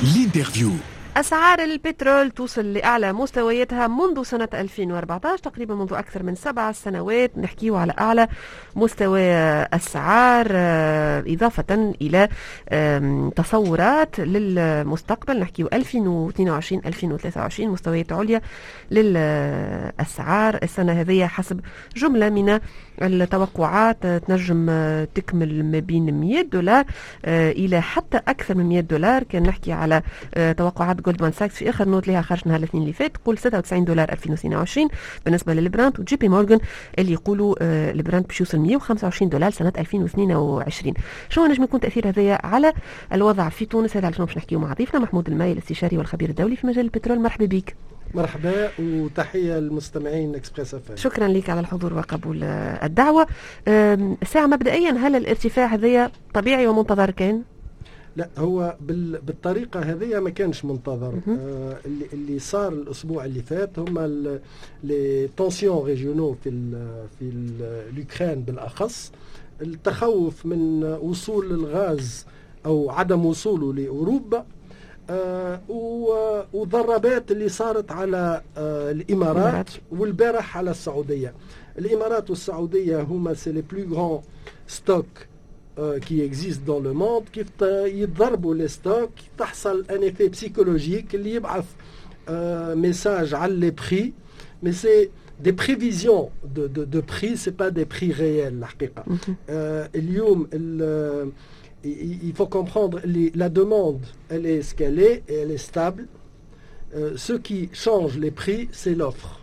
L'interview. أسعار البترول توصل لأعلى مستوياتها منذ سنة 2014 تقريبا، منذ أكثر من 7 سنوات. نحكيه على أعلى مستوى أسعار، إضافة إلى تصورات للمستقبل، نحكيه 2022 2023 مستويات عليا للأسعار. السنة هذه حسب جملة من التوقعات تنجم تكمل ما بين 100 دولار إلى حتى أكثر من 100 دولار. كان نحكي على توقعات جولدمان ساكس في اخر note لها خرج نهار الاثنين اللي فات، تقول 96 دولار 2022 بالنسبة للبرانت، وجي بي مورغان اللي يقولوا البرانت باش يوصل 125 دولار سنة 2022. شنو نجم يكون تاثير هذايا على الوضع في تونس؟ هذا على باش نحكيو مع ضيفنا محمود الماي، الاستشاري والخبير الدولي في مجال البترول. مرحبا بك. مرحبا وتحية للمستمعين اكسبريس اف. شكرا لك على الحضور وقبول الدعوه. الساعة مبدئيا، هل الارتفاع هذايا طبيعي ومنتظر كان؟ لا، هو بالطريقة هذه ما كانش منتظر. اللي صار الأسبوع اللي فات هما les tensions régionaux في l'Ukraine، بالأخص التخوف من وصول الغاز أو عدم وصوله لأوروبا، وضربات اللي صارت على الإمارات والبارح على السعودية. الإمارات والسعودية هما c'est les plus grands stocks qui existent dans le monde. كيف يتضربوا les stocks تحصل un effet psychologique اللي يبعث message على les prix، mais c'est des prévisions de prix، c'est pas des prix réels الحقيقة. اليوم il faut comprendre اللي la demande، elle est ce qu'elle est et elle est stable. Ce qui change les prix، c'est l'offre.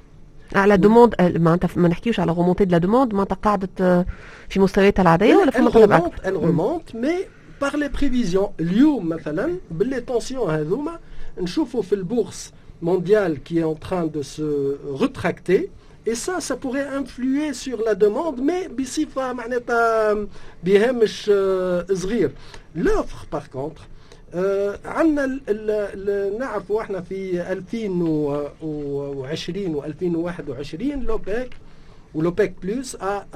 على demande، معناتها ما نحكيوش على remontée de la demande، معناتها قاعدة في مستوياتها العادية ولا في مطلب؟ elle remonte mais par les prévisions. اليوم مثلا ب les tensions هذوما نشوفوا في ال bourse mondiale qui est en train de se rétracter et ça pourrait influer sur la demande، mais بصفة معناتها بهامش صغير. l'offre par contre، عندنا نعرفوا احنا في 2020 و 2021 l'OPEC ou l'OPEC Plus a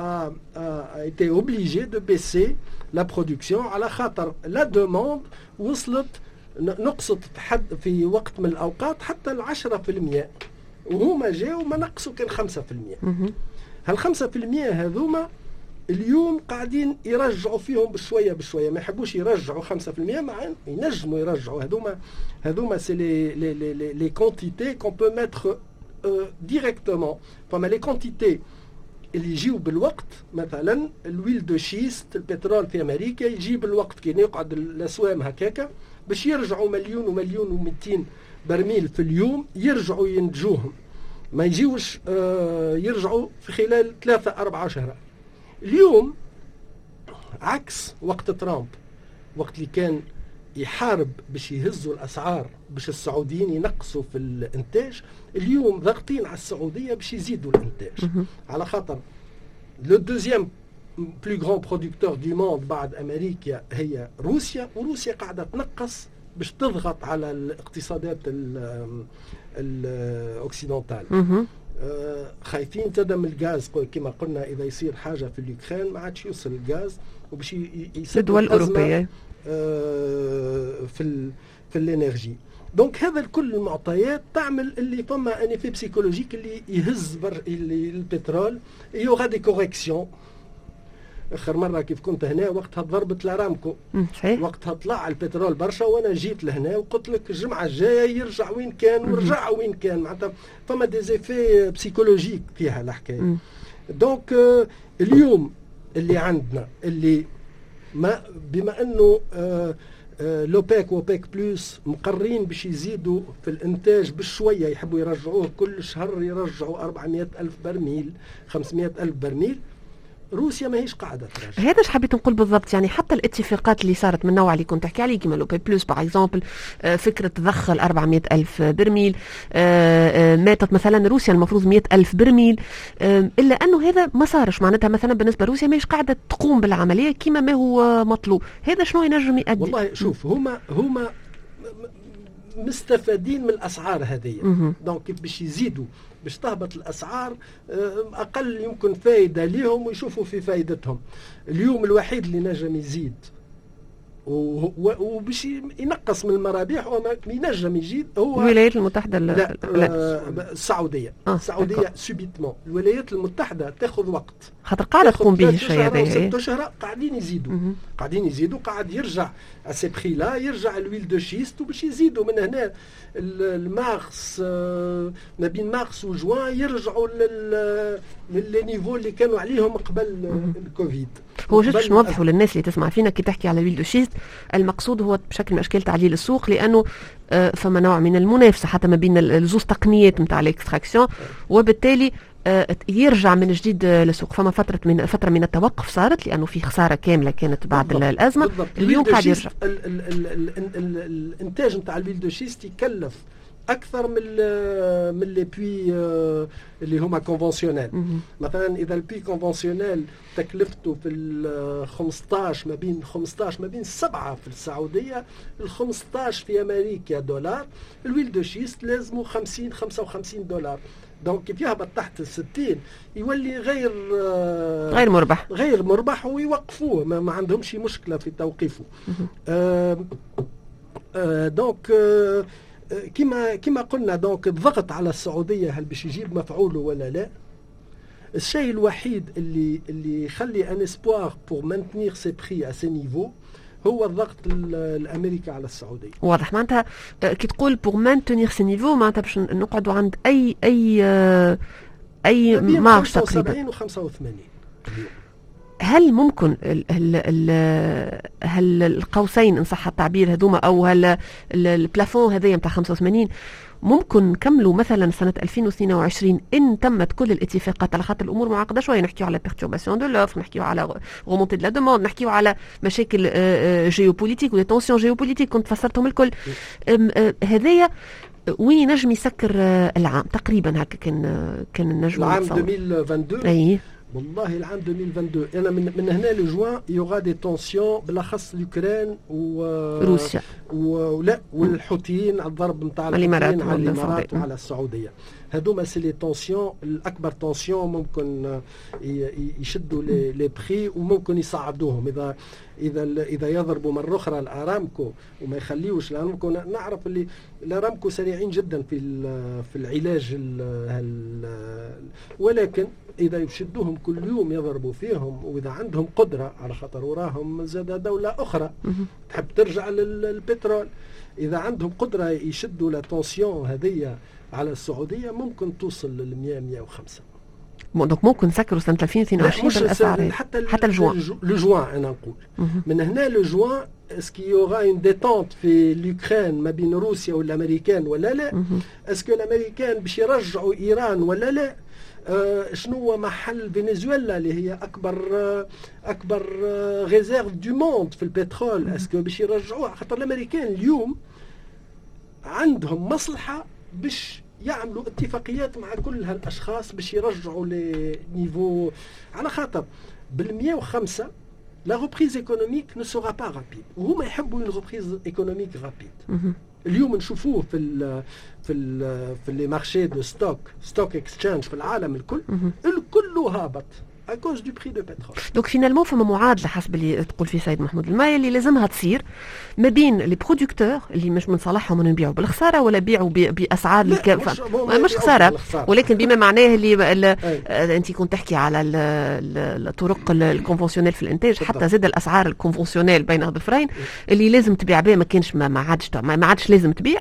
été obligé de baisser la production على خاطر la demande وصلت نقصت حد في وقت من الأوقات حتى 10%، وهما جاوا ما نقصوا كان 5%. هال 5% هذوما اليوم قاعدين يرجعوا فيهم بشوية بشويه، ما يحبوش يرجعوا 5% مع ينجموا يرجعوا. هذوما c'est les quantités qu'on peut mettre directement. فما les quantités اللي يجيو بالوقت، مثلا l'huile de schiste، البترول في امريكا يجي بالوقت. كي يقعد الاسوام هكاكا باش يرجعوا مليون ومليون و200 برميل في اليوم يرجعوا ينتجوهم، ما يجيوش يرجعوا في خلال 3 4 شهر. اليوم عكس وقت ترامب، وقت اللي كان يحارب باش يهزوا الاسعار باش السعوديين ينقصوا في الانتاج. اليوم ضاغطين على السعودية باش يزيدوا الانتاج، على خاطر le deuxième plus grand producteur du monde بعد امريكا هي روسيا، وروسيا قاعدة تنقص باش تضغط على الاقتصادات ال occidentales. خايفين زاد من الغاز، كما قلنا اذا يصير حاجة في l'Ukraine ما عادش يوصل الغاز وباش يصير الدول الاوروبيه. في l'énergie. donc هذا الكل المعطيات تعمل اللي فما un effet psychologique اللي يهز بر اللي البترول. il y aura des corrections. اخر مرة كيف كنت هنا وقتها ضربت الارامكو. وقتها طلع البترول برشا، وانا جيت لهنا وقلت لك الجمعة الجاية يرجع وين كان، ورجع وين كان. معناتها فما des effets psychologiques فيها الحكايه. donc اليوم اللي عندنا اللي ما بما انه l'OPEC و OPEC Plus مقرين باش يزيدوا في الانتاج بشويه، يحبوا يرجعوه كل شهر، يرجعوا 400 الف برميل، 500 الف برميل. روسيا ماهيش قاعدة تراجع. هذا ايش حبيت نقول بالضبط، يعني حتى الاتفاقات اللي صارت من النوع اللي كنت تحكي عليه كيما l'OPEP Plus par exemple، فكرة ضخ ال 400 الف برميل، ماتت مثلا روسيا المفروض 100 الف برميل، الا انه هذا ما صارش. معناتها مثلا بالنسبة لروسيا ماهيش قاعدة تقوم بالعملية كما ما هو مطلوب. هذا شنو ينجم يؤدي؟ والله شوف، هما مستفادين من الاسعار هذه، donc باش يزيدوا باش تهبط الاسعار اقل يمكن فايده ليهم ويشوفوا في فايدتهم. اليوم الوحيد اللي نجم يزيد وباش ينقص من المرابح وما ينجم يجي هو. الولايات المتحده؟ لا، لا، السعوديه. السعودية subitement. الولايات المتحدة تاخذ وقت. خاطر قاعدة تقوم به الشيء هذا. 6 اشهر قاعدين يزيدوا، قاعدين يزيدوا، قاعد يرجع à ces prix-là، يرجع l'huile de schiste، وباش يزيدوا من هنا المارس، ما بين مارس وجوان يرجعوا لل niveaux اللي كانوا عليهم قبل الكوفيد. هو juste باش نوضحوا للناس اللي تسمع فينا، كي تحكي على l'huile de schiste المقصود هو بشكل من اشكال تعليل السوق، لانه فما نوع من المنافسة حتى ما بين الزوز تقنيات نتاع l'extraction، وبالتالي يرجع من جديد للسوق. فما فتره من التوقف صارت لانه في خسارة كاملة كانت بعد الازمه. بالضبط. اليوم قاعد يرجع. الانتاج نتاع l'huile de schiste يكلف اكثر من les puits اللي هما conventionnels. مثلا اذا ال puits conventionnel تكلفته في ال 15، ما بين 15، ما بين 7 في السعوديه، ال 15 في امريكا دولار، l'huile de schiste لازمه 50، 55 دولار. donc كيف يهبط تحت ال 60 يولي غير غير مربح. غير مربح ويوقفوه، ما عندهمش مشكلة في توقيفه. Donc كما قلنا، donc الضغط على السعودية هل باش يجيب مفعوله ولا لا؟ الشيء الوحيد اللي يخلي un espoir pour maintenir ces prix à ces niveaux هو الضغط الامريكي على السعوديه. واضح. معناتها كي تقول pour maintenir ces niveaux معناتها باش نقعدوا عند اي marge تقريبا؟ 75 و 85. هل ممكن ال ال ال هل القوسين ان صح التعبير هذوما او هل ال plafond هذايا نتاع 85 ممكن نكملوا مثلا سنة 2022 إن تمت كل الاتفاقات؟ على خاطر الأمور معقدة شوية، نحكيو على perturbation de l'offre، نحكيو على remontée de la demande، نحكيو على مشاكل géopolitiques و tensions géopolitiques كنت فسرتهم الكل. هذايا وين ينجم يسكر العام تقريبا هكا كان نجم؟ العام 2022؟ اي. والله العام 2022 انا من هنا لجوان il y aura des tensions، بالاخص l'Ukraine و روسيا. ولا والحوثيين، الضرب نتاع الامارات. على الامارات وعلى السعوديه. هذوما c'est les tensions الاكبر، tensions ممكن يشدوا les prix وممكن يصعدوهم اذا يضربوا مرة اخرى الارامكو وما يخليوش الارامكو. نعرف اللي الارامكو سريعين جدا في العلاج، ولكن اذا يشدوهم كل يوم يضربوا فيهم، واذا عندهم قدره، على خاطر وراهم زاد دولة اخرى تحب ترجع للبترول، اذا عندهم قدره يشدوا la tension هذه على السعودية ممكن توصل لل 100، 105. donc ممكن نسكروا سنة 2022 بالاسعار؟ حتى الجوان. لجوان، انا نقول من هنا ل juin est-ce qu'il y aura une détente في l'Ukraine ما بين روسيا والامريكان ولا لا؟ est-ce que الامريكان باش يرجعوا ايران ولا لا؟ شنو هو محل فنزويلا اللي هي اكبر réserve du monde في البترول؟ est-ce que باش يرجعوها؟ خاطر الامريكان اليوم عندهم مصلحة باش يعملوا اتفاقيات مع كل هالاشخاص باش يرجعوا les niveaux، على خاطر بال 105 la reprise économique ne sera pas rapide، وهما يحبوا une reprise économique rapide. اليوم نشوفوه في les marchés de stock exchange في العالم الكل، الكل هابط à cause du prix de pétrole. donc finalement فما معادلة حسب اللي تقول فيه سيد محمود الماي اللي لازمها تصير ما بين les producteurs اللي مش من صالحهم انه يبيعوا بالخساره ولا يبيعوا باسعار مش خساره، ولكن بما معناه اللي انت كنت تحكي على الطرق ال conventionnelles في الانتاج، حتى زاد الاسعار ال conventionnelles بين ظفرين اللي لازم تبيع بها ما كانش ما عادش لازم تبيع.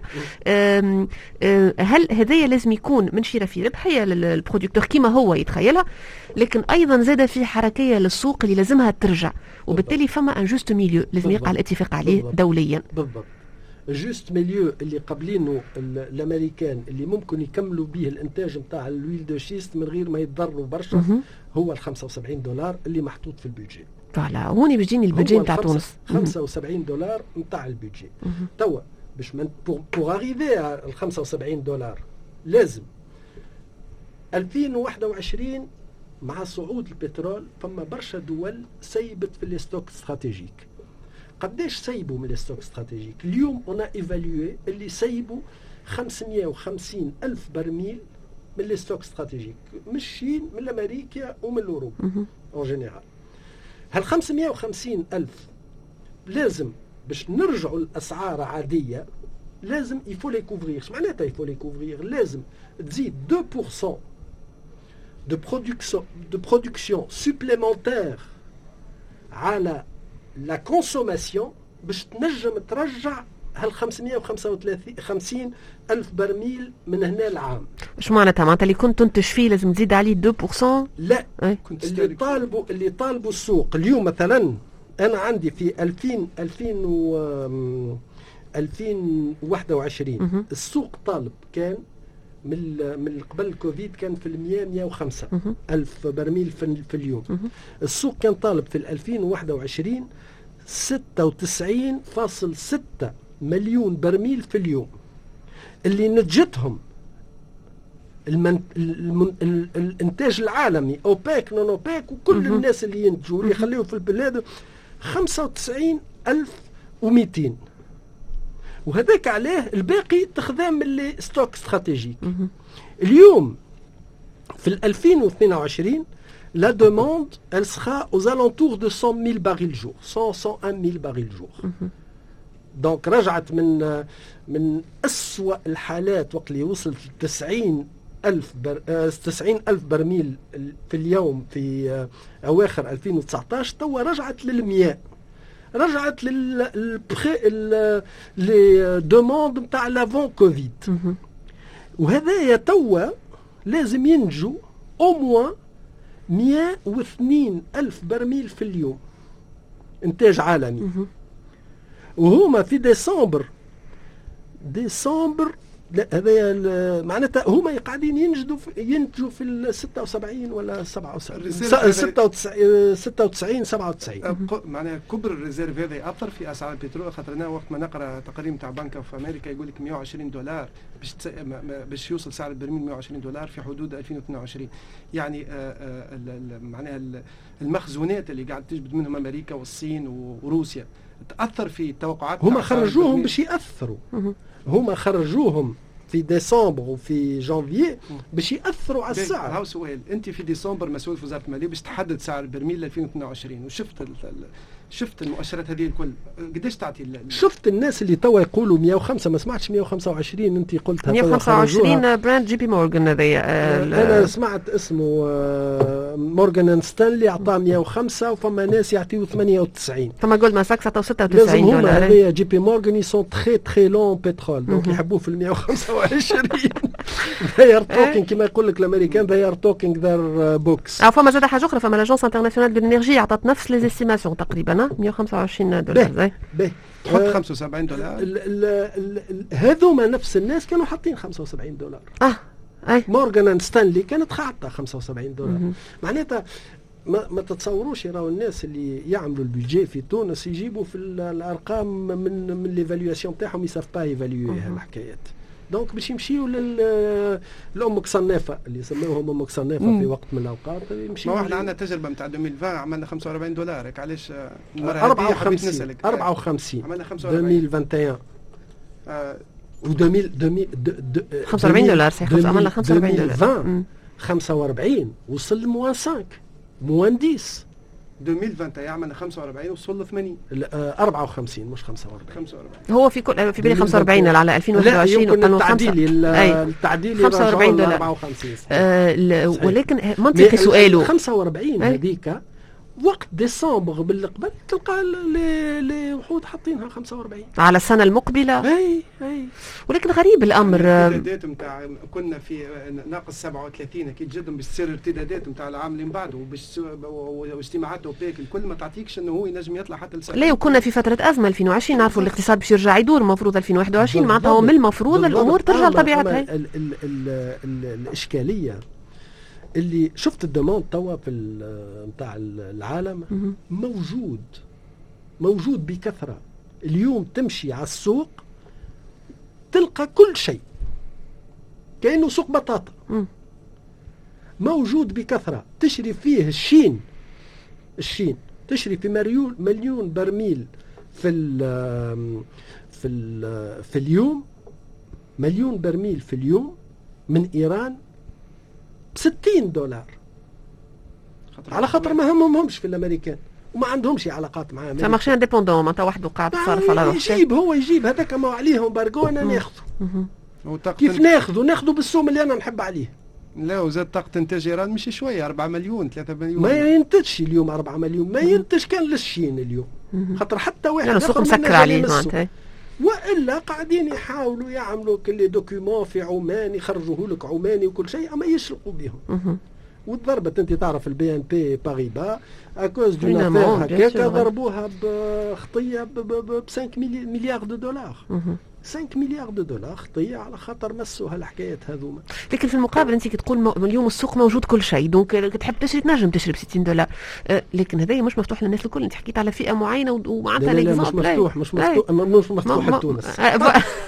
هل هذايا لازم يكون من شيره في ربحية لل producteur كما هو يتخيلها، لكن ايضا زاد في حركية للسوق اللي لازمها ترجع، وبالتالي فما un juste milieu لازم يقع الاتفاق عليه دوليا. بالضبط، juste milieu اللي قبلينه الامريكان اللي ممكن يكملوا به الانتاج نتاع l'huile de schiste من غير ما يتضروا برشا هو ال 75 دولار اللي محطوط في ال budget. voilà، هوني باش يجيني ال budget نتاع تونس. 75 دولار نتاع ال budget. توا باش pour arriver ال 75 دولار لازم 2021 مع صعود البترول فما برشا دول سيبت في les stocks stratégiques. قداش سيبوا من les stocks stratégiques؟ اليوم on a évalué اللي سيبوا 550 ألف برميل من les stocks stratégiques من الصين، من امريكا ومن اوروبا en général. هال 550 ألف لازم باش نرجعوا الاسعار عادية لازم il faut les couvrir. معناتها il faut les couvrir، لازم تزيد 2% de production supplémentaire على la consommation باش تنجم ترجع هال 535 ألف برميل من هنا العام. ايش معناتها؟ معناتها اللي كنت تنتج فيه لازم تزيد عليه 2%؟ لا، اللي طالبوا السوق اليوم، مثلا انا عندي في 2000 2000 و 2021 السوق طالب كان من قبل الكوفيد كان في المية 105 ألف برميل في اليوم. السوق كان طالب في 2021 96.6 مليون برميل في اليوم. اللي نتجتهم الانتاج العالمي، اوباك، non OPEC، وكل الناس اللي ينتجوا اللي يخليوا في البلاد 95,200، وهذاك عليه الباقي تخذ من les stocks stratégiques. اليوم في 2022 la demande elle sera aux alentours de 100 000 barils jour، 100، 101 000 barils jour. donc رجعت من أسوأ الحالات وقت اللي وصلت 90 ألف 90 ألف برميل في اليوم في أواخر 2019، توا رجعت للمية، رجعت لل les demandes نتاع l'avant Covid. وهذايا توا لازم ينتجوا au moins 102 ألف برميل في اليوم إنتاج عالمي. وهما في ديسمبر، ديسمبر لا، هذا معناتها هما قاعدين ينتجوا في ال 76 ولا 77، 96، 96، 97. معناها كبر ال réserves هذا ياثر في اسعار البترول؟ خاطر انا وقت ما نقرا تقرير تاع Bank of America يقول لك 120 دولار باش يوصل سعر البرميل 120 دولار في حدود 2022. يعني معناها المخزونات اللي قاعد تجبد منهم امريكا والصين وروسيا تاثر في التوقعات. هما خرجوهم باش ياثروا، هما خرجوهم في ديسمبر وفي جانفي باش ياثروا على السعر. هاو سؤال، انت في ديسمبر مسؤول في وزارة المالية باش تحدد سعر البرميل 2022 وشفت شفت المؤشرات هذه الكل، قداش تعطي؟ شفت الناس اللي توا يقولوا 105، ما سمعتش 125، انت قلتها. 125 Brent، JP Morgan هذايا. انا سمعت اسمه Morgan Stanley عطاه 105، وفما ناس يعطيو 98. فما Goldman Sachs عطاو 96 دولار. هذايا JP Morgan sont très très longs pétrole، donc يحبوه في ال 125. they are talking، كما يقول لك الامريكان، they are talking their books. فما زاد حاجة اخرى، فما l'Agence internationale de l'énergie عطات نفس les estimations تقريبا 125 دولار. باهي. تحط 75 دولار. هذوما نفس الناس كانوا حاطين 75 دولار. اه اي. Morgan Stanley كانت حاطه 75 دولار. معناتها ما تتصوروش راهو الناس اللي يعملوا ال budget في تونس يجيبوا في الارقام من l'évaluation تاعهم، ils savent pas évaluer الحكايات. donc باش يمشيوا لامك صنافه اللي يسموهم امك صنافه في وقت من الاوقات. يمشيو. ما احنا عندنا تجربه نتاع 2020، عملنا 45 دولار، علاش؟ 54، 54. عملنا 45. 2021 و 2000 45 دولار صحيح، عملنا 45 دولار. 2020 45 وصل moins 5، moins 10. 2021 عملنا 45 وصل ل 80. 54 مش 45. 45. هو في كل في بالي 45 على 2021. لا، يمكن التعديل التعديل 45 دولار. 54. ولكن منطقي سؤاله. 45 هذيك وقت ديسمبر بالقبل تلقى les وحود حاطينها 45. على السنة المقبله. اي. ولكن غريب الامر. الارتدادات نتاع كنا في ناقص 37، اكيد جدا باش تصير ارتدادات نتاع العام اللي من بعده، وباش واجتماعات اوبيك الكل ما تعطيكش انه هو ينجم يطلع حتى لسنة. لا، وكنا في فترة ازمة 2020، نعرفوا الاقتصاد باش يرجع يدور، المفروض 2021 معناتها هو من المفروض الامور ترجع لطبيعتها. ال ال ال ال الاشكالية اللي شفت ال demande توا في نتاع العالم موجود، موجود بكثرة. اليوم تمشي على السوق تلقى كل شيء كأنه سوق بطاطا موجود بكثرة تشري فيه الشين. الشين تشري في مليون برميل في اليوم، مليون برميل في اليوم من إيران ب 60 دولار، على خاطر ما همهمش في الامريكان. وما عندهمش علاقات مع امريكا. marché indépendant، معناتها وحده قاعد تصرف على روحه. يجيب، هو يجيب هذاك ما عليه embargo، انا ناخذه. كيف ناخذه؟ ناخذه بالسوم اللي انا نحب عليه. لا، وزاد طاقة انتاج ايران مش شويه، 4 مليون، 3 مليون. ما ينتجش اليوم 4 مليون، ما ينتج كان للشين اليوم، خاطر حتى واحد السوق مسكر عليه معناتها. والا قاعدين يحاولوا يعملوا كل document في عمان، يخرجوه لك عماني وكل شيء، اما يشلقوا بهم. وضربت، انت تعرف ال BNP Paribas à cause d'une affaire هكاك ضربوها بخطيه ب 5 milliards de dollars، 5 milliards de dollars خطيه على خاطر مسوا هالحكايات هذوما. لكن في المقابل انت كي تقول اليوم السوق موجود كل شيء، donc تحب تشري تنجم تشري ب 60 دولار، لكن هذا مش مفتوح للناس الكل. انت حكيت على فئة معينة ومعناتها لا، لا، مش مفتوح، مش مفتوح، مش مفتوح لتونس.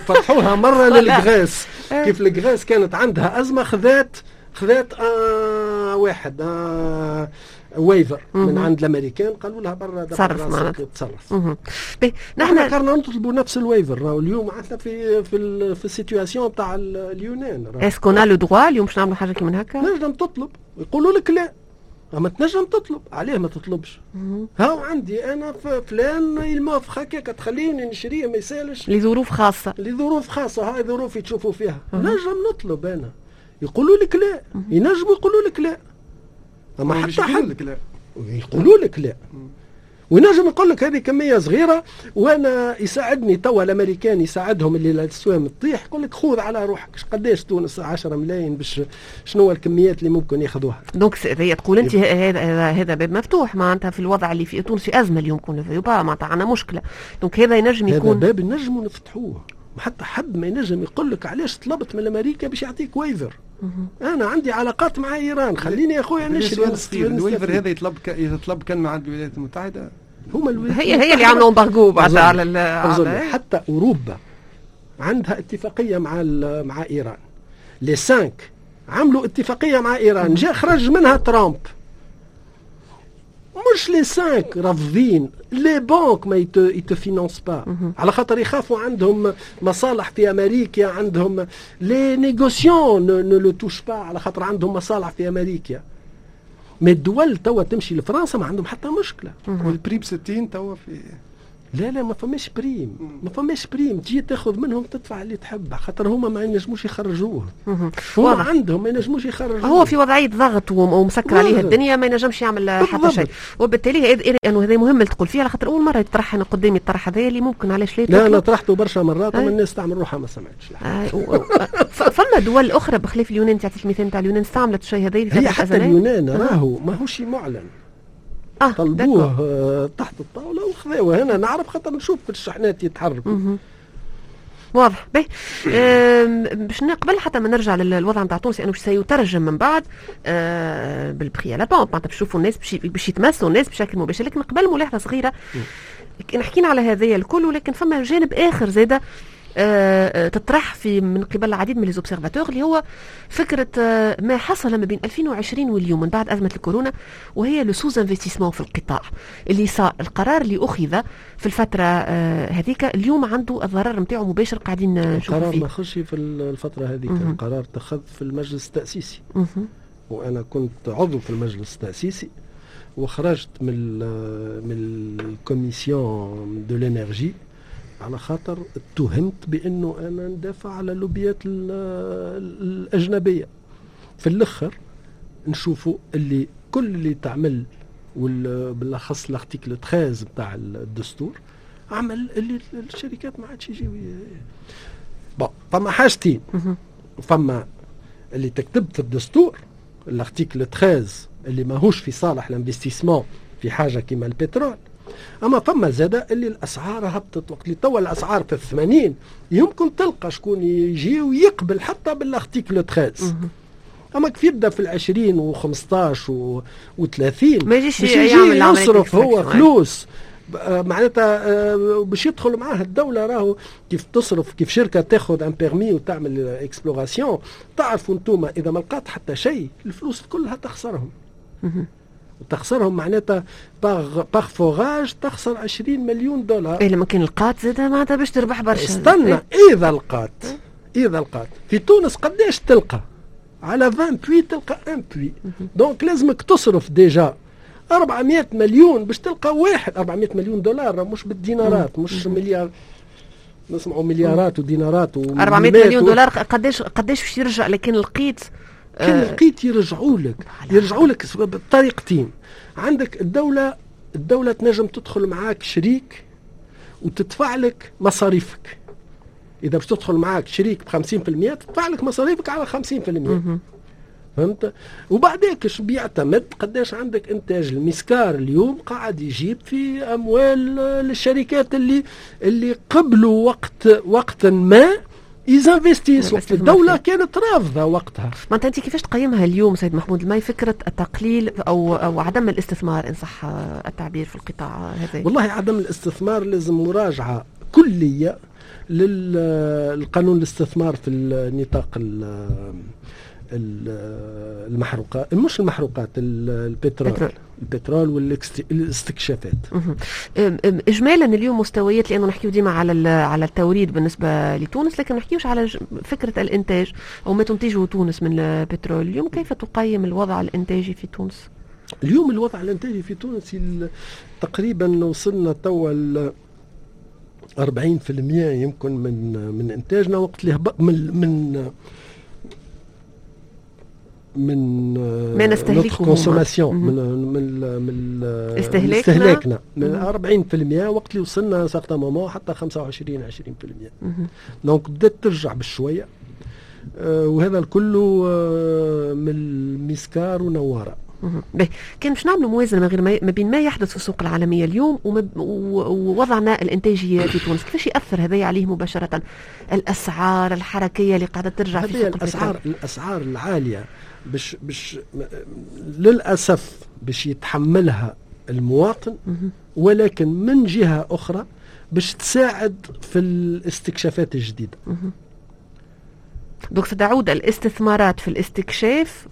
فتحوها مرة لل Grèce، كيف ال Grèce كانت عندها ازمة خذات واحد waiver من عند الامريكان، قالوا لها برا. تصرف معناتها. تصرف. نحن كنا نطلبوا نفس ال waiver. اليوم عندنا في ال situation تاع اليونان. est-ce qu'on a le droit اليوم باش نعملوا حاجة كيما هكا؟ تنجم تطلب، يقولوا لك لا، اما تنجم تطلب. عليه ما تطلبش؟ هاو عندي انا فلان il m'offre هكاك، تخليني نشريه ما يسالش. لظروف خاصه. لظروف خاصه، هاي ظروفي تشوفوا فيها، نجم نطلب انا. يقولوا لك لا، ينجموا يقولوا لك لا، اما حتى حد لك لا. يقولوا لك لا، وينجم يقول لك هذه كمية صغيرة وانا يساعدني توا الامريكان، يساعدهم اللي الاسوام تطيح، يقول لك خذ على روحك. قداش تونس؟ 10 ملايين، باش شنو الكميات اللي ممكن ياخذوها؟ donc هي تقول انت هذا باب مفتوح معناتها في الوضع اللي في تونس، في ازمة اليوم، كون معناتها عندنا مشكله، donc هذا ينجم يكون هذا باب نجموا نفتحوه. حتى حد ما ينجم يقول لك علاش طلبت من امريكا باش يعطيك waiver. انا عندي علاقات مع ايران، خليني يا اخويا نشري. ال waiver هذا يطلب كان مع الولايات المتحده؟ هما الولايات هي اللي عملوا embargo بعد على حتى اوروبا عندها اتفاقية مع ايران. les cinq عملوا اتفاقية مع ايران، جاء خرج منها ترامب. مش les cinq رافضين، les banques ما ils te financent pas على خاطر يخافوا، عندهم مصالح في امريكا، عندهم les négociants ne le touchent pas على خاطر عندهم مصالح في امريكا. mais الدول توا تمشي لفرنسا ما عندهم حتى مشكله. وال prix ب 60 توا في لا لا، ما فماش prix، ما فماش prix. تجي تاخذ منهم تدفع اللي تحب، خاطر هما ما ينجموش يخرجوه، هما عندهم ما ينجموش يخرجوه. هو في وضعية ضغط ومسكر عليه الدنيا، ما ينجمش يعمل حتى شيء. وبالتالي انه هذا مهم اللي تقول فيه، على خاطر اول مرة يطرح انا قدامي الطرح هذا اللي ممكن علاش لا. لا، انا طرحته برشا مرات وما الناس تعمل روحها ما سمعتش. فما دول اخرى بخلاف اليونان، تعطيك المثال تاع اليونان، استعملت الشيء هذا؟ هي حتى اليونان راهو ماهوش معلن. طلبوه تحت الطاولة وخذوه. هنا نعرف خاطر نشوف في الشحنات يتحركوا. واضح. باهي، باش قبل حتى ما نرجع للوضع نتاع تونس، لانه سيترجم من بعد بال prix à la pompe، معناتها باش نشوفوا الناس باش يتمسوا الناس بشكل مباشر. لكن قبل ملاحظة صغيره، حكينا على هذايا الكل، ولكن فما جانب اخر زاده تطرح في من قبل العديد من les observateurs، اللي هو فكرة ما حصل ما بين 2020 واليوم من بعد ازمة الكورونا، وهي le sous-investissement في القطاع اللي صار. القرار اللي اخذ في الفترة هذيك اليوم عنده الضرر نتاعو مباشر قاعدين نشوفوا فيه. القرار ما خش في الفترة هذيك، القرار اتخذ في المجلس التاسيسي، وانا كنت عضو في المجلس التاسيسي وخرجت من ال commission de l'énergie على خاطر اتهمت بانه انا ندافع على اللوبيات الاجنبيه. في الاخر نشوفوا اللي كل اللي تعمل، وبالاخص l'article 13 بتاع الدستور، عمل اللي الشركات ما عادش يجيو. bon، فما حاجتين: فما اللي تكتب في الدستور، l'article 13 اللي ماهوش في صالح l'investissement في حاجة كيما البترول، اما فما زاد اللي الاسعار هبطت. وقت اللي توا الاسعار في ال80 يمكن تلقى شكون يجي ويقبل حتى بال article 13، اما كيف يبدا في ال20 و15 و30 ما يجيش. يجي يصرف هو فلوس معناتها باش يدخل معاه الدولة. راهو كيف تصرف، كيف شركة تاخذ un permis وتعمل exploration، تعرفوا انتم اذا ما لقات حتى شيء الفلوس كلها تخسرهم، تخسرهم معناتها par forage تخسر 20 مليون دولار. اي لما كان لقات زاد معناتها باش تربح برشا. استنى إيه؟ اذا لقات، اذا لقات. في تونس قداش تلقى؟ على 20 puits تلقى 1 puits، donc لازمك تصرف déjà 400 مليون باش تلقى واحد، 400 مليون دولار مش بالدينارات، مش مليار، نسمعوا مليارات ودينارات. و 400 مليون دولار قداش باش يرجع؟ لكن لقيت كان لقيت يرجعوا لك بطريقتين. عندك الدولة تنجم تدخل معاك شريك وتدفع لك مصاريفك. اذا باش تدخل معاك شريك ب 50%، تدفع لك مصاريفك على 50%، فهمت؟ وبعدك ايش بيعتمد؟ قداش عندك انتاج. المسكار اليوم قاعد يجيب في اموال للشركات اللي قبلوا وقتا ما ils investissent، وقت الدولة كانت رافضة وقتها. ما انت كيفاش تقيمها اليوم سيد محمود الماي، فكرة التقليل او عدم الاستثمار ان صح التعبير في القطاع هذا؟ والله عدم الاستثمار لازم مراجعة كلية للقانون الاستثمار في النطاق المحروقات، مش المحروقات، البترول، البترول والاستكشافات. اجمالا اليوم مستويات، لانه نحكيو ديما على التوريد بالنسبة لتونس، لكن نحكيوش على فكرة الانتاج او ما تنتجه تونس من البترول. اليوم كيف تقيم الوضع الانتاجي في تونس؟ اليوم الوضع الانتاجي في تونس تقريبا وصلنا توا 40% يمكن من انتاجنا، وقت اللي من ما نستهلكه consommation، من استهلاكنا. استهلاكنا من 40%، وقت اللي وصلنا certain moment حتى 25 20%. donc بدات ترجع بشويه، وهذا الكل من المسكار ونواره. باهي، كان باش نعملوا موازنه ما غير ما بين ما يحدث في السوق العالمية اليوم ووضعنا الانتاجي في تونس، كيفاش ياثر هذا عليه مباشرة؟ الاسعار الحركية اللي قاعدة ترجع في سوق الاسعار العالية باش للاسف باش يتحملها المواطن، ولكن من جهة اخرى باش تساعد في الاستكشافات الجديده. donc ستعود الاستثمارات في الاستكشاف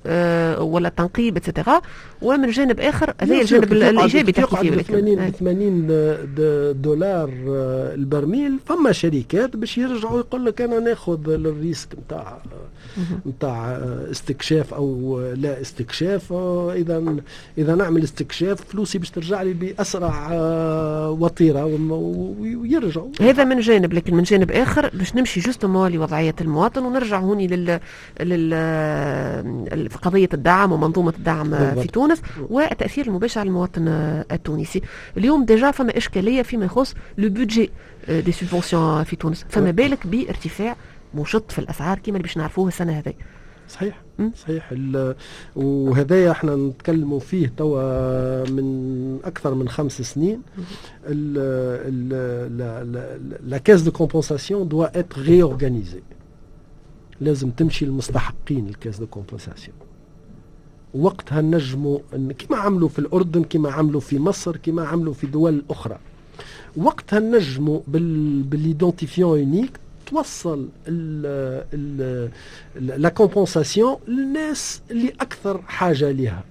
ولا التنقيب et cetera، ومن جانب اخر هذا الجانب الايجابي تحكي فيه. 80 80 دولار البرميل، فما شركات باش يرجعوا يقول لك انا ناخذ ال risque نتاع استكشاف او لا استكشاف. اذا نعمل استكشاف فلوسي باش ترجع لي باسرع وتيرة ويرجعوا. هذا من جانب، لكن من جانب اخر باش نمشي justement لوضعيه المواطن ونرجع هوني لل قضية الدعم ومنظومه الدعم في تونس والتاثير المباشر على المواطن التونسي. اليوم déjà فما اشكالية فيما يخص le budget des subventions في تونس، فما بالك بارتفاع مشط في الاسعار كما اللي باش نعرفوه السنة هذه؟ صحيح، وهذايا احنا نتكلموا فيه توا من اكثر من 5 سنين. la caisse de compensation doit être réorganisée. لازم تمشي للمستحقين ال caisse de compensation. وقتها نجموا كما عملوا في الأردن، كما عملوا في مصر، كما عملوا في دول أخرى، وقتها نجموا بال identifiant unique توصل la compensation للناس اللي اكثر حاجة لها.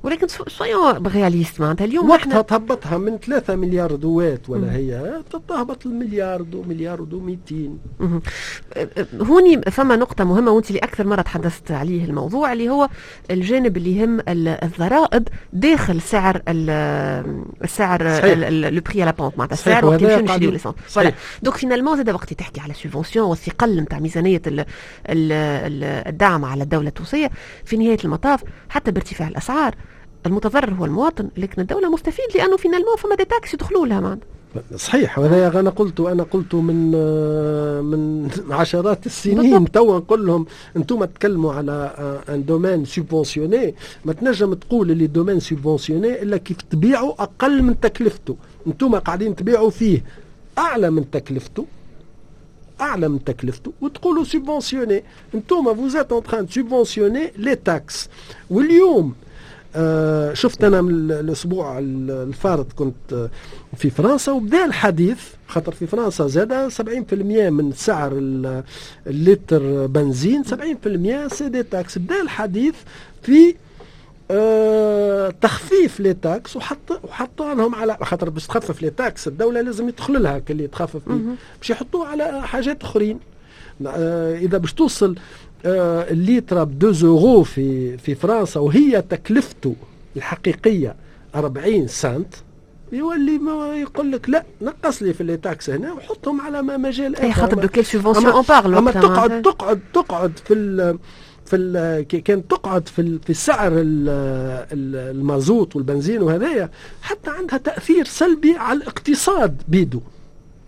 ولكن soyons réalistes، معناتها اليوم وقتها تهبطها من 3 مليار دوات ولا هي تهبط المليار دو مليار دو 200. هوني فما نقطة مهمة، وانت اللي أكثر مرة تحدثت عليه الموضوع، اللي هو الجانب اللي يهم الضرائب داخل سعر السعر، le prix à la pompe، معناتها السعر وقت نمشيو نشريو l'essence. voilà، donc finalement زاد وقت تحكي على subvention والثقل نتاع ميزانية الدعم على الدولة التونسية، في نهاية المطاف حتى بارتفاع الأسعار المتضرر هو المواطن، لكن الدولة مستفيد لأنه finalement فما des taxes يدخلوا لها معناتها. صحيح، وهذا انا قلته من عشرات السنين. توا نقول لهم انتم تكلموا على un domaine subventionné، ما تنجم تقول اللي domaine subventionné الا كيف تبيعوا اقل من تكلفته. انتم قاعدين تبيعوا فيه اعلى من تكلفته، اعلى من تكلفته، وتقولوا subventionné. انتم vous êtes en train de subventionner les taxes. واليوم شفت انا من الاسبوع الفارط كنت في فرنسا، وبدا الحديث خاطر في فرنسا زاد 70% من سعر اللتر بنزين، 70% c'est des taxes. بدا الحديث في تخفيف les taxes، وحطوا لهم على خاطر باش تخفف les taxes الدولة لازم يدخل لها كل تخفف، باش يحطوه على حاجات اخرين. اذا باش توصل الليتر ب 2 اورو في فرنسا وهي تكلفته الحقيقية 40 سنت، يولي ما يقول لك لا، نقص لي في les taxes هنا وحطهم على ما مجال اخر. اي خاطر de quelle subvention on parle؟ اما تقعد في ال كان تقعد في سعر المازوت والبنزين وهذايا، حتى عندها تاثير سلبي على الاقتصاد بيدو،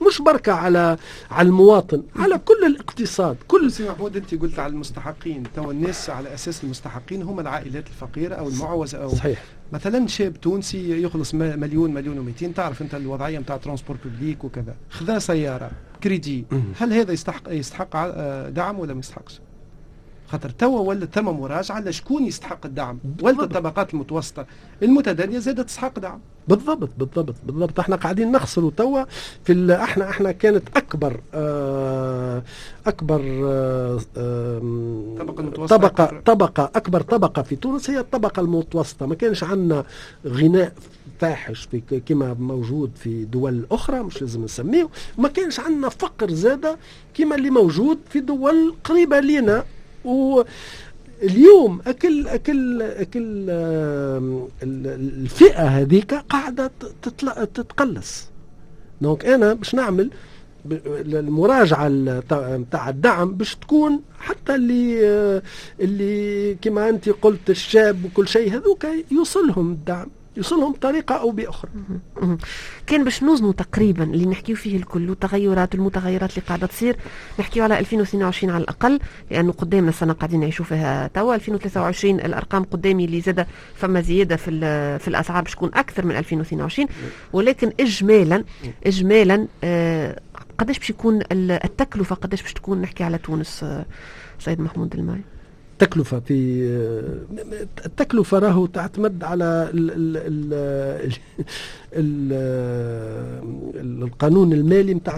مش بركة على المواطن، على كل الاقتصاد كل. سي محمود، انت قلت على المستحقين، تو الناس على اساس المستحقين هم العائلات الفقيرة او المعوزه او مثلا شاب تونسي يخلص مليون، مليون و200، تعرف انت الوضعية نتاع transport public وكذا، خذا سيارة كريدي، هل هذا يستحق دعم ولا ما يستحقش؟ خاطر توا ولا ثم مراجعه لشكون يستحق الدعم، ولا الطبقات المتوسطة المتدنيه زادت تستحق دعم. بالضبط. احنا قاعدين نخسروا توا في احنا كانت اكبر طبقة المتوسطة. طبقه اكبر طبقه في تونس هي الطبقة المتوسطه. ما كانش عندنا غناء فاحش في كما موجود في دول اخرى، مش لازم نسميه، ما كانش عندنا فقر زاده كما اللي موجود في دول قريبه لنا. و اليوم اكل الفئة هذيك قاعدة تتقلص. donc انا باش نعمل المراجعة نتاع الدعم باش تكون حتى اللي كما انت قلت الشاب وكل شيء، هذوك يوصلهم الدعم، يوصلهم بطريقة او باخرى. كان باش نوزنوا تقريبا اللي نحكيو فيه الكل والتغيرات والمتغيرات اللي قاعدة تصير، نحكيو على 2022 على الاقل، لانه قدامنا السنة قاعدين نعيشوا فيها توا. 2023 الارقام قدامي اللي زاد فما زيادة في الاسعار باش تكون اكثر من 2022، ولكن اجمالا قداش باش يكون التكلفه؟ قداش باش تكون؟ نحكي على تونس سيد محمود الماي. التكلفة راهو تعتمد على ال ال ال ال القانون المالي نتاع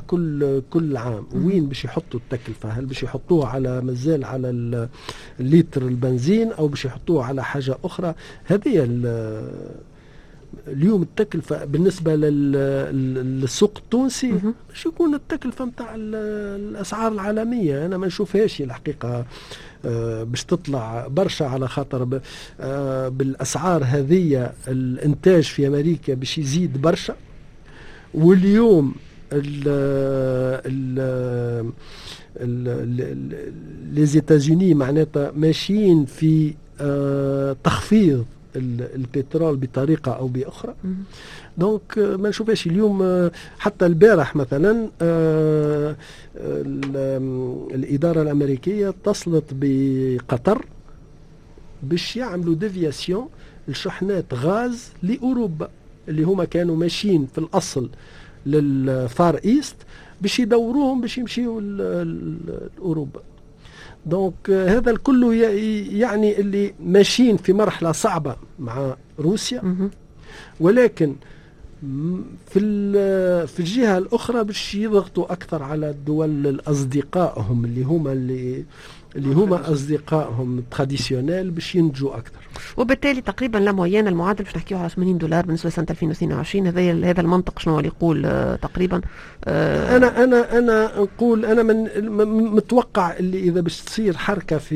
كل عام، وين باش يحطوا التكلفة؟ هل باش يحطوها على مازال على الليتر البنزين او باش يحطوها على حاجة اخرى؟ هذه اليوم التكلفة بالنسبة للسوق التونسي باش يكون التكلفة نتاع الأسعار العالمية. أنا ما نشوفهاش الحقيقة باش تطلع برشا، على خاطر بالأسعار هذه الإنتاج في أمريكا باش يزيد برشا، واليوم ال ال les États-Unis معناتها ماشيين في تخفيض البترول بطريقة او باخرى. donc ما نشوفهاش اليوم. حتى البارح مثلا الادارة الامريكية اتصلت بقطر باش يعملوا déviation لشحنات غاز لاوروبا، اللي هما كانوا ماشيين في الاصل لل Far East، باش يدوروهم باش يمشيوا لاوروبا. donc هذا الكل يعني اللي ماشيين في مرحلة صعبة مع روسيا، ولكن في الجهة الاخرى باش يضغطوا اكثر على الدول الاصدقائهم اللي هما اصدقائهم traditionnels باش ينتجوا اكثر. وبالتالي تقريبا la moyenne، المعدل باش نحكيو على 80 دولار بالنسبة لسنه 2022. هذا المنطق شنو اللي يقول تقريبا؟ انا نقول انا من متوقع اللي اذا باش تصير حركة في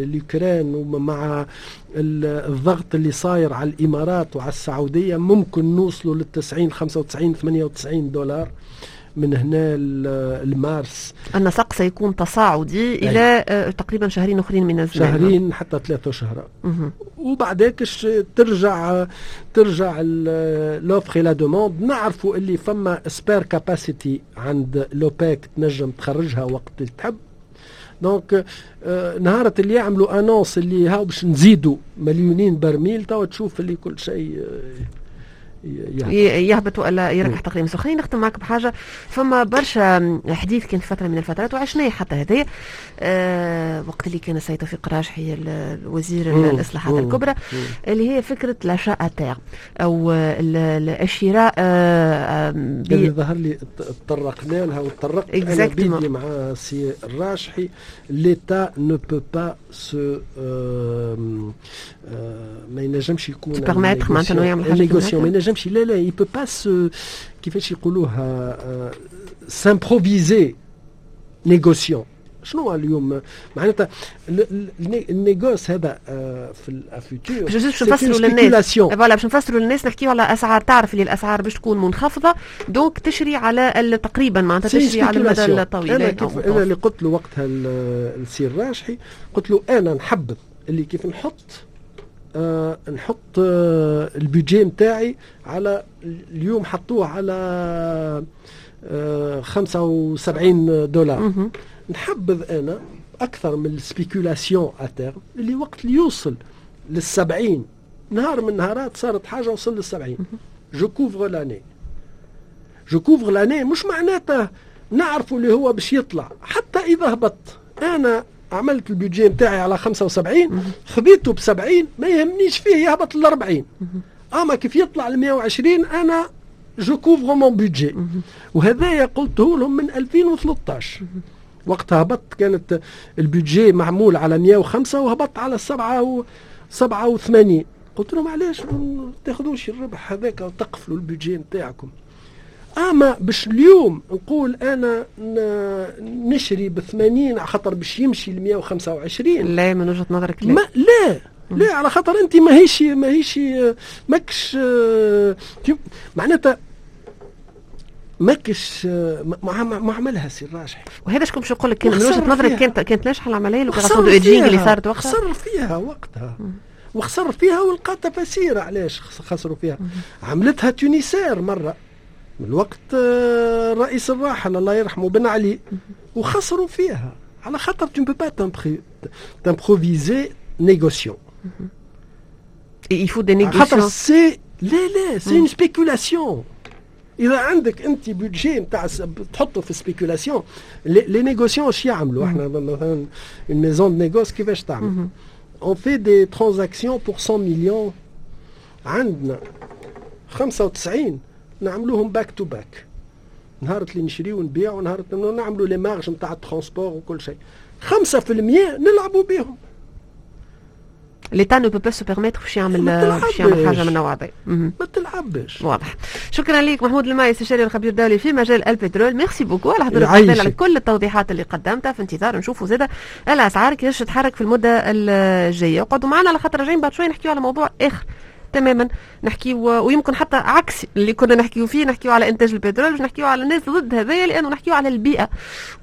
اليوكرين ومع الضغط اللي صاير على الامارات وعلى السعوديه، ممكن نوصلوا لل 90، 95، 98 دولار من هنا المارس. النسق سيكون تصاعدي الى تقريبا شهرين اخرين من الزمان. شهرين حتى 3 شهور، وبعدك ترجع l'offre la demande. نعرفوا اللي فما spare capacity عند l'OPEC تنجم تخرجها وقت اللي تحب. donc نهارة اللي يعملوا annonce اللي هاو باش نزيدوا مليونين برميل، تو تشوف اللي كل شيء يهبط والا يركح تقريبا. خليني نختم معك بحاجه. فما برشا حديث كان في فترة من الفترات وعشناه حتى هذايا وقت اللي كان السيد توفيق راجحي الوزير الاصلاحات الكبرى، اللي هي فكرة l'achat à terme او الشراء. اللي ظهر لي تطرقنا لها وتطرقت انا بيدي مع سي الراجحي، l'État ne peut pas se ما ينجمش يكون permettre معناتها يعمل حاجه. ما ينجمش، لا لا، il peut pas se كيفاش يقولوها، s'improviser négociant. شنو اليوم معناتها ال négoce هذا في ال futur؟ باش نفسروا للناس، voilà، باش نفسروا للناس، نحكيو على اسعار، تعرف اللي الاسعار باش تكون منخفضه، donc تشري على تقريبا معناتها تشري على المدى الطويل. انا كيف انا اللي قلت له وقتها السي الراجحي، قلت له انا نحبذ اللي كيف نحط ال budget نتاعي على اليوم حطوه على 75 دولار، نحبذ انا اكثر من ال spéculation à terme اللي وقت اللي يوصل للسبعين، نهار من نهارات صارت حاجة وصل للسبعين، je couvre l'année، je couvre l'année. مش معناته نعرفوا اللي هو باش يطلع، حتى اذا هبط انا عملت ال budget نتاعي على 75، خذيته ب 70، ما يهمنيش فيه يهبط ل 40، اما كيف يطلع ل 120 انا je couvre mon budget. وهذايا قلته لهم من 2013، وقتها هبط، كانت ال budget معمول على 105 وهبط على 7 و 87. قلت لهم علاش ما تاخذوش الربح هذاك وتقفلوا ال budget نتاعكم؟ اما باش اليوم نقول انا نشري ب 80 خاطر باش يمشي ل 125. لا، من وجهه نظرك لا. ما لا لا، على خاطر انت ماهيش ماكش معناتها ماكش ما عملها سي الراجحي. وهذا شكون باش نقول لك، كان من وجهه نظرك كانت ناجحة العملية l'opération de hedging اللي صارت وقتها؟ خسر فيها وقتها وخسر فيها ولقى تفاسير علاش خسروا فيها. عملتها Tunisair مرة من الوقت الرئيس الراحل الله يرحمه بن علي وخسروا فيها، على خاطر tu ne peux pas t'improviser négociant. Il faut des négociants. خاطر c'est لا لا، c'est une spéculation. اذا عندك انت budget نتاع تحطه في spéculation، les négociants اش يعملوا؟ احنا مثلا une maison de négoce كيفاش تعمل؟ on fait des transactions pour 100 millions، عندنا 95 نعملوهم back to back، نهار اللي نشريو ونبيع ونهار نعملوا les marges نتاع ال transport وكل شيء، 5% نلعبوا بهم. l'État ne peut pas se permettre باش يعمل حاجة من النوع هذا. ما تلعبش. واضح، شكرا لك محمود الماي، استشاري الخبير الدولي في مجال البترول. merci beaucoup على حضورك، على كل التوضيحات اللي قدمتها. في انتظار نشوفوا زاده الاسعار كيفاش تتحرك في المدة الجايه. اقعدوا معنا على خاطر راجعين بعد شوي نحكيو على موضوع اخر تماما، نحكيو ويمكن حتى عكس اللي كنا نحكيو فيه، نحكيو على انتاج البترول، مش نحكيو على الناس ضد هذايا، لانه نحكيو على البيئة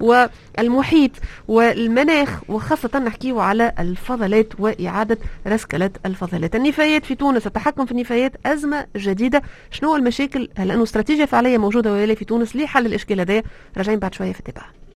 والمحيط والمناخ، وخاصة نحكيو على الفضلات وإعادة رسكلة الفضلات، النفايات في تونس. التحكم في النفايات أزمة جديدة. شنو المشاكل؟ هل أنه استراتيجية فعلية موجودة ولا في تونس لحل الإشكال هذايا؟ راجعين بعد شوية في التابعة.